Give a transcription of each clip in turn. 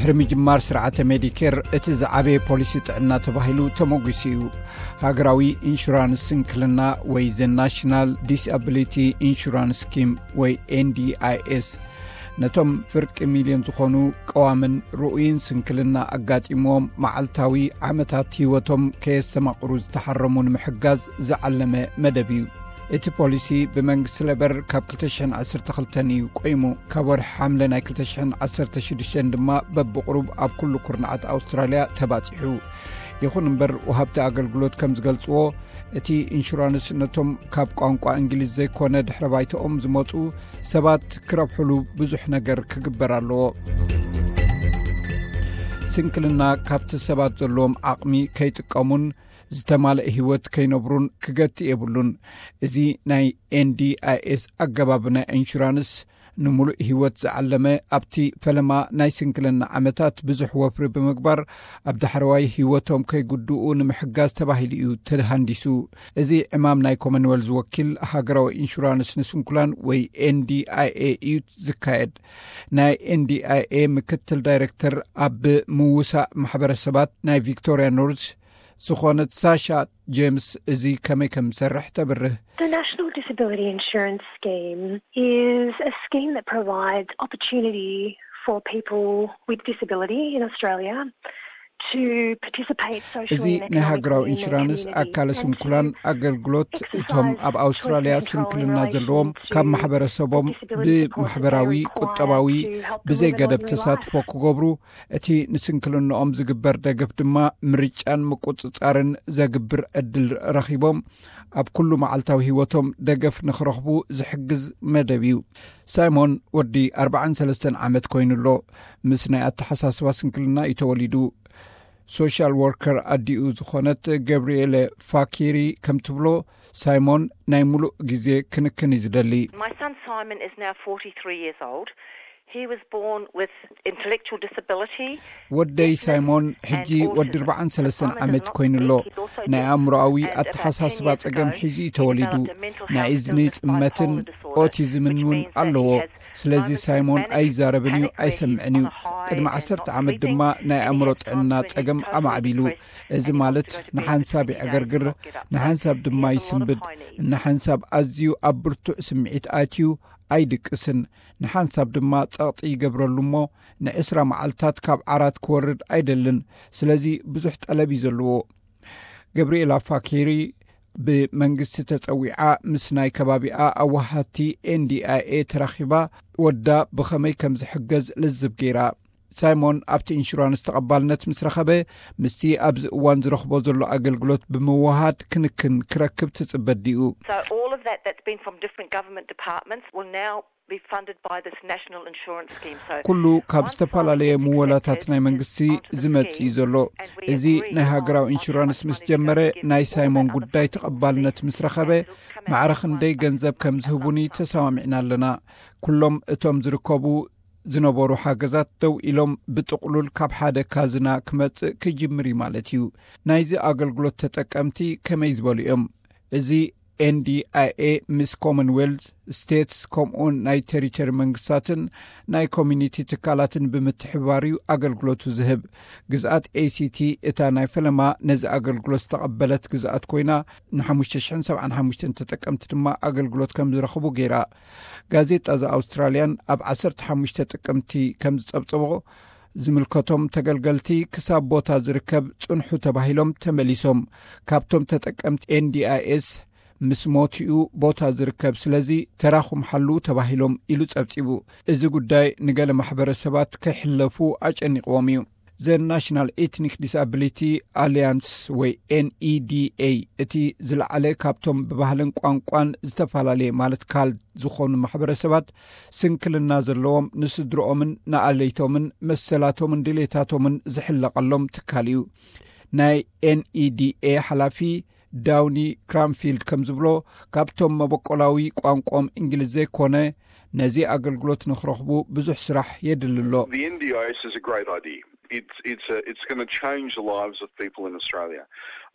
ድሕሪ ምጅማር ስርዓተ ሜዲኬር፣ እቲ ዝዓበየ ፖሊሲ ጥዕና ተባሂሉ ተመጒሱ እዩ። ሃገራዊ ኢንሹራንስ ስንክልና ወይ ዘ ናሽናል ዲስኣቢሊቲ ኢንሹራንስ ስኪም ወይ ኤንዲኣይኤስ፣ ነቶም ፍርቂ ሚልዮን ዝኾኑ ቀዋምን ርኡይን ስንክልና ኣጋጢምዎም መዓልታዊ ዓመታት ህይወቶም ከየስተማቕሩ ዝተሓረሙ ንምሕጋዝ ዝዓለመ መደብ እዩ። እቲ ፖሊሲ ብመንግስቲ ሌበር ካብ ክልተ ሽሕን ዓሰርተ ክልተን እዩ ቆይሙ። ካብ ወርሒ ሓምለ ናይ ክልተ ሽሕን ዓሰርተ ሽዱሽተን ድማ በብቕሩብ ኣብ ኩሉ ኩርናዓት ኣውስትራልያ ተባጺሑ። ይኹን እምበር፣ ወሃብቲ ኣገልግሎት ከም ዝገልጽዎ፣ እቲ ኢንሹራንስ ነቶም ካብ ቋንቋ እንግሊዝ ዘይኮነ ድሕረ ባይታኦም ዝመጹ ሰባት ክረብሕሉ ብዙሕ ነገር ክግበር ኣለዎ። ስንክልና ካብቲ ሰባት ዘለዎም ዓቕሚ ከይጥቀሙን ዝተማልአ ህይወት ከይነብሩን ክገትእ የብሉን። እዚ ናይ ኤንዲኣይኤስ ኣገባብ ናይ ኢንሹራንስ፣ ንምሉእ ህይወት ዝዓለመ፣ ኣብቲ ፈለማ ናይ ስንክልና ዓመታት ብዙሕ ወፍሪ ብምግባር ኣብ ዳሕረዋይ ህይወቶም ከይጉድኡ ንምሕጋዝ ተባሂሉ እዩ ተሃንዲሱ። እዚ ዕማም ናይ ኮመንዌልዝ ወኪል ሃገራዊ ኢንሹራንስ ንስንኩላን ወይ ኤንዲኣይኤ እዩ ዝካየድ። ናይ ኤንዲኣይኤ ምክትል ዳይሬክተር ኣብ ምውሳእ ማሕበረሰባት ናይ ቪክቶሪያ ኖርዝ ዝኾነት ሳሻ ጄምስ እዚ ከመይ ከም ዝሰርሕ ተብርህ። The National Disability Insurance Scheme is a scheme that provides opportunity for people with disability in Australia to participate socially. እዚ ናይ ሃገራዊ ኢንሹራንስ ኣካለ ስንኩላን ኣገልግሎት፣ እቶም ኣብ ኣውስትራልያ ስንክልና ዘለዎም ካብ ማሕበረሰቦም ብማሕበራዊ፣ ቁጠባዊ ብዘይ ገደብ ተሳትፎ ክገብሩ፣ እቲ ንስንክልንኦም ዝግበር ደገፍ ድማ ምርጫን ምቁጽጻርን ዘግብር ዕድል ረኺቦም ኣብ ኩሉ መዓልታዊ ህይወቶም ደገፍ ንኽረኽቡ ዝሕግዝ መደብ እዩ። ሳይሞን ወዲ ኣርባዓን ሰለስተን ዓመት ኮይኑ ኣሎ። ምስ ናይ ኣተሓሳስባ ስንክልና እዩ ተወሊዱ። ሶሻል ወርከር ኣዲኡ ዝኾነት ገብርኤለ ፋኪሪ ከም ትብሎ፣ ሳይሞን ናይ ሙሉእ ግዜ ክንክን እዩ ዝደሊ። My son Simon is now forty-three years old. He was born with intellectual disability. ወደይ ሳይሞን ሕጂ ወዲ ኣርባዓን ሰለስተን ዓመት ኮይኑ ኣሎ። ናይ ኣእምሮኣዊ ኣተሓሳስባ ጸገም ሒዙ እዩ ተወሊዱ። ናይ እዝኒ ጽመትን ኦቲዝምን እውን ኣለዎ። ስለዚ ሳይሞን ኣይዛረብን እዩ፣ ኣይሰምዕን እዩ። ቅድሚ ዓሰርተ ዓመት ድማ ናይ ኣእምሮ ጥዕና ጸገም ኣማዕቢሉ። እዚ ማለት ንሓንሳብ ይዕገርግር፣ ንሓንሳብ ድማ ይስንብድ፣ ንሓንሳብ ኣዝዩ ኣብ ብርቱዕ ስምዒት ኣትዩ ኣይድቅስን፣ ንሓንሳብ ድማ ጸቕጢ ይገብረሉ እሞ ንዕስራ መዓልታት ካብ ዓራት ክወርድ ኣይደልን። ስለዚ ብዙሕ ጠለብ እዩ ዘለዎ። ገብርኤላ ፋኪሪ ብመንግስቲ ተጸዊዓ ምስ ናይ ከባቢኣ ኣዋሃድቲ ኤንዲኣይኤ ተራኺባ ወዳ ብኸመይ ከም ዝሕገዝ ልዝብ ገይራ። ሳይሞን ኣብቲ ኢንሹራንስ ተቐባልነት ምስ ረኸበ፣ ምስቲ ኣብዚ እዋን ዝረኽቦ ዘሎ ኣገልግሎት ብምውሃድ ክንክን ክረክብ ትጽበ ድዩ? So all of that that's been from different government departments will now be funded by this national insurance scheme. So ኩሉ ካብ ዝተፈላለየ ምወላታት ናይ መንግስቲ ዝመጽእ እዩ ዘሎ። እዚ ናይ ሃገራዊ ኢንሹራንስ ምስ ጀመረ፣ ናይ ሳይሞን ጉዳይ ተቐባልነት ምስ ረኸበ፣ ማዕረ ክንደይ ገንዘብ ከም ዝህቡኒ ተሰማሚዕና ኣለና። ኩሎም እቶም ዝርከቡ ዝነበሩ ሓገዛት ደው ኢሎም፣ ብጥቕሉል ካብ ሓደ ካዝና ክመጽእ ክጅምር እዩ ማለት እዩ። ናይዚ ኣገልግሎት ተጠቀምቲ ከመይ ዝበሉ እዮም? እዚ ኤንዲኣይኤ ምስ ኮመንዌልዝ ስቴትስ፣ ከምኡውን ናይ ቴሪቶሪ መንግስታትን ናይ ኮሚኒቲ ትካላትን ብምትሕብባር እዩ ኣገልግሎቱ ዝህብ። ግዝኣት ኤሲቲ እታ ናይ ፈለማ ነዚ ኣገልግሎት ዝተቐበለት ግዝኣት ኮይና፣ ንሓሙሽተ ሽሕን ሰብዓን ሓሙሽተን ተጠቀምቲ ድማ ኣገልግሎት ከም ዝረኽቡ ገይራ። ጋዜጣ ዘ ኣውስትራልያን ኣብ ዓሰርተ ሓሙሽተ ጥቅምቲ ከም ዝጸብጸቦ፣ ዝምልከቶም ተገልገልቲ ክሳብ ቦታ ዝርከብ ጽንሑ ተባሂሎም ተመሊሶም። ካብቶም ተጠቀምቲ ኤንዲኣይኤስ ምስ ሞትኡ ቦታ ዝርከብ፣ ስለዚ ተራኹም ሓልዉ ተባሂሎም ኢሉ ጸብጺቡ። እዚ ጉዳይ ንገለ ማሕበረሰባት ከይሕለፉ ኣጨኒቕዎም እዩ። ዘ ናሽናል ኤትኒክ ዲስኣቢሊቲ ኣሊያንስ ወይ ኤንኢዲኤ፣ እቲ ዝለዓለ ካብቶም ብባህልን ቋንቋን ዝተፈላለየ ማለት ካልድ ዝኾኑ ማሕበረሰባት ስንክልና ዘለዎም ንስድርኦምን ንኣለይቶምን መሰላቶምን ድሌታቶምን ዝሕለቐሎም ትካል እዩ። ናይ ኤንኢዲኤ ሓላፊ ዳውኒ ክራምፊልድ ከም ዝብሎ፣ ካብቶም መበቆላዊ ቋንቋኦም እንግሊዝ ዘይኮነ ነዚ ኣገልግሎት ንኽረኽቡ ብዙሕ ስራሕ የድሊ ኣሎ። The N D I S is a great idea. It's it's a, it's going to change the lives of people in Australia.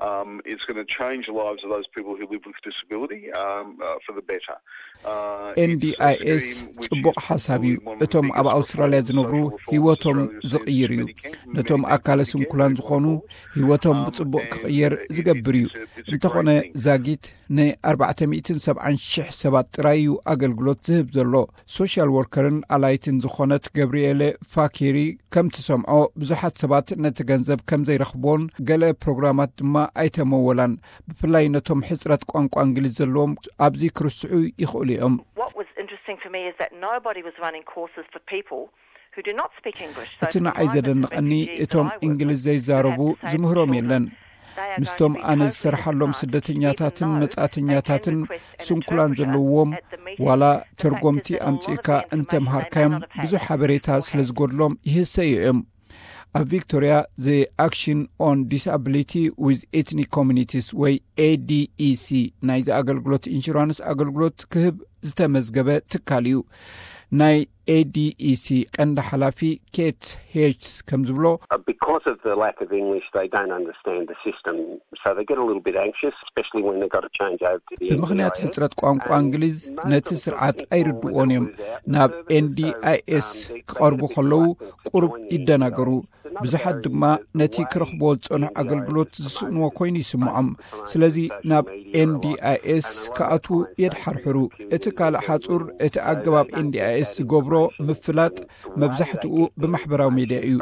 Um, it's going to change the lives of those people who live with disability um, uh, for the better. Uh, it's a ኤንዲኣይኤስ scheme which ጽቡቕ is ሓሳብ እዩ። probably one of the እቶም ኣብ biggest ኣውስትራልያ reforms, ዝነብሩ social reforms ህይወቶም Australia's seen ዝቕይር እዩ። many can, ነቶም many ኣካለ people can ስንኩላን get ዝኾኑ going forward. ህይወቶም Um, ብጽቡቕ and, ክቕየር uh, it- ዝገብር እዩ። it's a- it's a እንተኾነ great thing. ዛጊት ን ኣርባዕተ ሚእትን ሰብዓን ሽሕ ሰባት ጥራይ እዩ ኣገልግሎት ዝህብ ዘሎ። ሶሻል ወርከርን ኣላይትን ዝኾነት ገብርኤለ ፋኪሪ ከም ትሰምዖ፣ ብዙሓት ሰባት ነቲ ገንዘብ ከም ዘይረኽብዎን ገለ ፕሮግራማት ድማ ኣይተመወላን። ብፍላይ ነቶም ሕጽረት ቋንቋ እንግሊዝ ዘለዎም ኣብዚ ክርስዑ ይኽእሉ እዮም። What was interesting for me is that nobody was running courses for people who do not speak English. So እቲ for ንዓይ migrant ዘደንቐኒ refugees that እቶም I work እንግሊዝ with, ዘይዛረቡ who have disabled ዝምህሮም children, የለን። they are ምስቶም going to be ኣነ totally ዝሰርሓሎም disadvantaged. ስደተኛታትን People who መጻእተኛታትን speak English and can ስንኩላን request an ዘለዎም interpreter at the meeting. ዋላ The fact ተርጎምቲ is that a lot of ኣምጺእካ the information they may እንተምሃርካዮም not have had ብዙሕ ሓበሬታ beforehand. ስለ ዝጎድሎም ይህሰዩ እዮም። ኣብ ቪክቶርያ፣ the Action on Disability with Ethnic Communities ወይ ኤዲኢሲ ናይዚ ኣገልግሎት ኢንሹራንስ ኣገልግሎት ክህብ ዝተመዝገበ ትካል እዩ። ናይ ኤዲኢሲ ቀንዲ ሓላፊ ኬት ሄችስ ከም ዝብሎ፣ Uh, because of the lack of English, they don't understand the system, so they get a little bit anxious, especially when they've got to change over to the ብምኽንያት N D I S. ሕጽረት ቋንቋ እንግሊዝ ነቲ ስርዓት ኣይርድዎን እዮም። ናብ ኤንዲኣይኤስ ክቐርቡ ከለዉ ቁሩብ ይደናገሩ። ብዙሓት ድማ ነቲ ክረኽብዎ ዝጸንሑ ኣገልግሎት ዝስእንዎ ኮይኑ ይስምዖም። ስለዚ ናብ ኤንዲኣይኤስ ክኣትዉ የድሓርሕሩ። እቲ ካልእ ሓጹር፣ እቲ ኣገባብ ኤንዲኣይኤስ ዝገብሮ ምፍላጥ መብዛሕትኡ ብማሕበራዊ ሜድያ እዩ።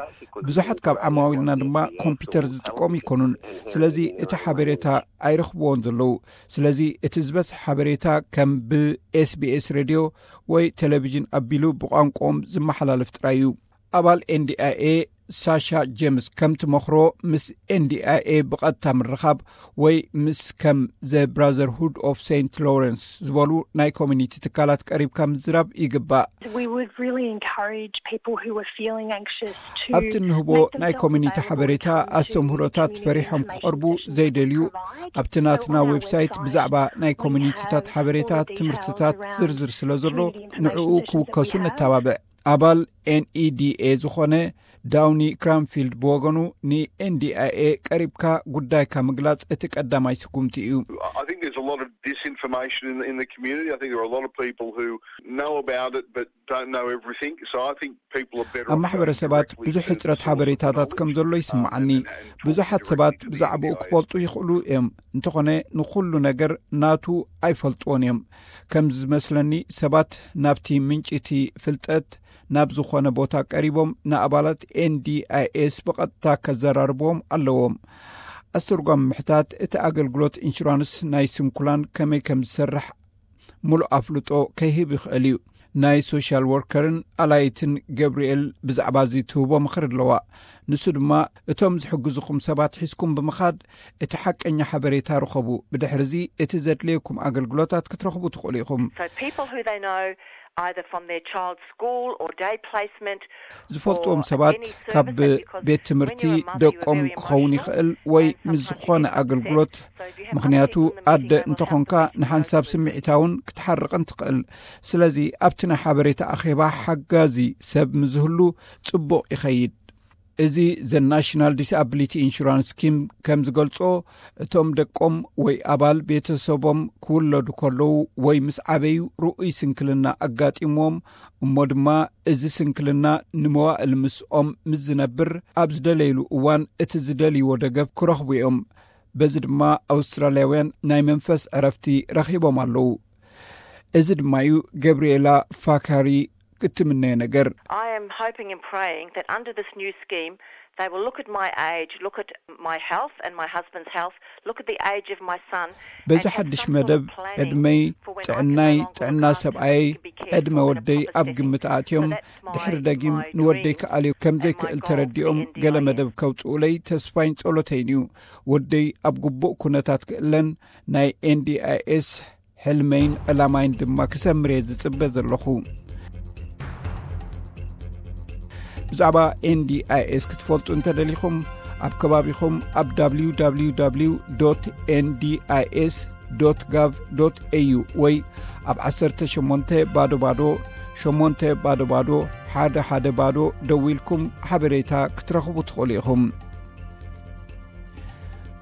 ብዙሓት ካብ ዓማዊልና ድማ ኮምፒውተር ዝጥቀሙ ይኮኑን። ስለዚ እቲ ሓበሬታ ኣይረኽብዎን ዘለዉ። ስለዚ እቲ ዝበዝሐ ሓበሬታ ከም ብኤስቢኤስ ሬድዮ ወይ ቴሌቪዥን ኣቢሉ ብቋንቋኦም ዝመሓላለፍ ጥራይ እዩ። ኣባል ኤንዲኣይኤ ሳሻ ጄምስ ከም ትመኽሮ፣ ምስ ኤንዲኣይኤ ብቐጥታ ምርኻብ ወይ ምስ ከም ዘ ብራዘርሁድ ኦፍ ሴንት ሎረንስ ዝበሉ ናይ ኮሚኒቲ ትካላት ቀሪብካ ምዝራብ ይግባእ። We would really encourage people who are feeling anxious to ኣብቲ እንህቦ ናይ ኮሚኒቲ ሓበሬታ ኣስተምህሮታት ፈሪሖም ክቐርቡ ዘይደልዩ ኣብቲ ናትና ዌብሳይት ብዛዕባ ናይ ኮሚኒቲታት ሓበሬታ ትምህርትታት ዝርዝር ስለ ዘሎ ንዕኡ ክውከሱ ነተባብዕ። ኣባል ኤንኢዲኤ ዝኾነ ዳውኒ ክራንፊልድ ብወገኑ ንኤንዲኣይኤ ቀሪብካ ጉዳይካ ምግላጽ እቲ ቀዳማይ ስጉምቲ እዩ። I think there's a lot of disinformation in, in the community. I think there are a lot of people who know about it but don't know everything. So I think people are better ኣብ off ማሕበረሰባት ብዙሕ ሕጽረት ሓበሬታታት ከም ዘሎ ይስምዓኒ። ብዙሓት ሰባት ብዛዕባኡ ክፈልጡ ይኽእሉ እዮም፣ እንተኾነ ንኹሉ ነገር ናቱ ኣይፈልጥዎን እዮም። ከም ዝመስለኒ ሰባት ናብቲ ምንጪ እቲ ፍልጠት ናብ ዝኾነ ቦታ ቀሪቦም ንኣባላት ኤንዲኣይኤስ ብቐጥታ ከዘራርብዎም ኣለዎም። ኣስተርጓሚ ምሕታት እቲ ኣገልግሎት ኢንሹራንስ ናይ ስንኩላን ከመይ ከም ዝሰርሕ ሙሉእ ኣፍልጦ ከይህብ ይኽእል እዩ። ናይ ሶሻል ወርከርን ኣላይትን ገብርኤል ብዛዕባ እዚ ትህቦ ምኽሪ ኣለዋ። ንሱ ድማ እቶም ዝሕግዙኹም ሰባት ሒዝኩም ብምኻድ እቲ ሓቀኛ ሓበሬታ ርኸቡ። ብድሕሪ እዚ እቲ ዘድልየኩም ኣገልግሎታት ክትረኽቡ ትኽእሉ ኢኹም። So people who they know, either from their child's school or day placement, ዝፈልጥዎም ሰባት ካብ ቤት ትምህርቲ ደቆም ክኸውን ይኽእል ወይ ምስ ዝኾነ ኣገልግሎት። ምኽንያቱ ኣደ እንተኾንካ ንሓንሳብ ስምዒታውን ክትሓርቕን ትኽእል። ስለዚ ኣብቲ ናይ ሓበሬታ ኣኼባ ሓጋዚ ሰብ ምዝህሉ ጽቡቕ ይኸይድ። እዚ ዘ ናሽናል ዲስኣቢሊቲ ኢንሹራንስ ስኪም ከም ዝገልጾ፣ እቶም ደቆም ወይ ኣባል ቤተሰቦም ክውለዱ ከለዉ ወይ ምስ ዓበዩ ርኡይ ስንክልና ኣጋጢምዎም፣ እሞ ድማ እዚ ስንክልና ንመዋእል ምስኦም ምስ ዝነብር፣ ኣብ ዝደለይሉ እዋን እቲ ዝደልይዎ ደገፍ ክረኽቡ እዮም። በዚ ድማ ኣውስትራልያውያን ናይ መንፈስ ዕረፍቲ ረኺቦም ኣለዉ። እዚ ድማ እዩ ገብርኤላ ፋካሪ ክትምነዮ ነገር። I am hoping and praying that under this new scheme, they will look at my age, look at my health and my husband's health, look at the age of my son, በዚ ሓድሽ መደብ ዕድመይ፣ ጥዕናይ፣ ጥዕና ሰብኣየይ፣ ዕድመ ወደይ ኣብ ግምት ኣእትዮም፣ ድሕሪ ደጊም ንወደይ ክኣልዮ ከም ዘይክእል ተረዲኦም ገለ መደብ ከውጽኡለይ ተስፋይን ጸሎተይን እዩ። ወደይ ኣብ ግቡእ ኩነታት ክእለን ናይ ኤንዲኣይኤስ ሕልመይን ዕላማይን ድማ ክሰምር እየ ዝጽበ ዘለኹ። ብዛዕባ ኤንዲኣይኤስ ክትፈልጡ እንተደሊኹም፣ ኣብ ከባቢኹም ኣብ www.ndis.gov.au ወይ ኣብ ዓሰርተ ሸሞንተ ባዶ ባዶ ሸሞንተ ባዶ ባዶ ሓደ ሓደ ባዶ ደዊልኩም ሓበሬታ ክትረኽቡ ትኽእሉ ኢኹም።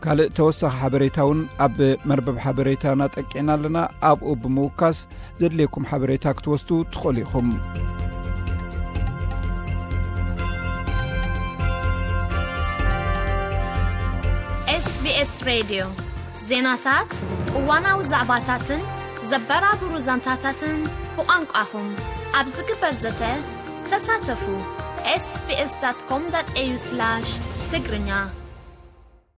ካልእ ተወሳኺ ሓበሬታ እውን ኣብ መርበብ ሓበሬታና ጠቂዕና ኣለና። ኣብኡ ብምውካስ ዘድልየኩም ሓበሬታ ክትወስዱ ትኽእሉ ኢኹም። SBS ሬድዮ ዜናታት፣ እዋናዊ ዛዕባታትን ዘበራብሩ ዛንታታትን ብቋንቋኹም ኣብ ዝግበር ዘተ ተሳተፉ። SBS.com.au/ትግርኛ